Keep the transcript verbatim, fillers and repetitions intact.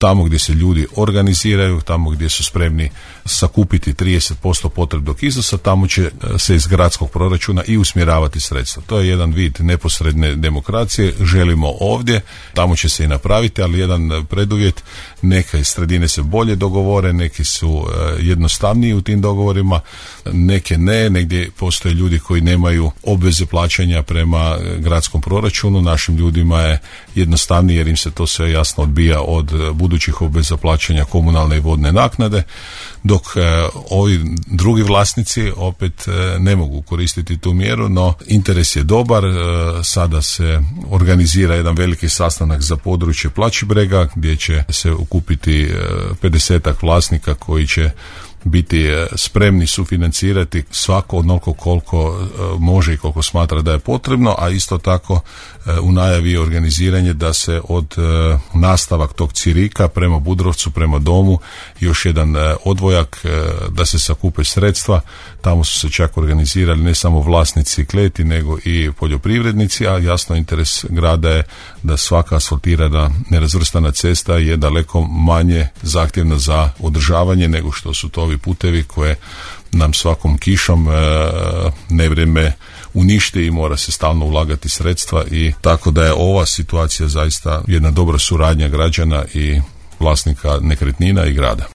tamo gdje se ljudi organiziraju, tamo gdje su spremni sakupiti trideset posto potrebnog iznosa, tamo će se iz gradskog proračuna i usmjeravati sredstva. To je jedan vid neposredne demokracije, želimo ovdje, tamo će se i napraviti, ali jedan preduvjet, neke sredine se bolje dogovore, neki su jednostavniji u tim dogovorima, neke ne, negdje postoje ljudi koji nemaju obveze plaćanja prema gradskom proračunu, našim ljudima je jednostavnije jer im se to sve jasno odbija od budućih obveza plaćanja komunalne i vodne naknade, dok e, ovi drugi vlasnici opet e, ne mogu koristiti tu mjeru, no interes je dobar. E, sada se organizira jedan veliki sastanak za područje Plačibrega gdje će se okupiti pedesetak vlasnika koji će biti spremni sufinancirati svako onoliko koliko može i koliko smatra da je potrebno, a isto tako u najavi je organiziranje da se od nastavak tog Cirika prema Budrovcu, prema domu, još jedan odvojak da se sakupe sredstva. Tamo su se čak organizirali ne samo vlasnici kleti, nego i poljoprivrednici, a jasno interes grada je da svaka asfaltirana nerazvrstana cesta je daleko manje zahtjevna za održavanje nego što su to ovi putevi koje nam svakom kišom e, nevrijeme uništi i mora se stalno ulagati sredstva, i tako da je ova situacija zaista jedna dobra suradnja građana i vlasnika nekretnina i grada.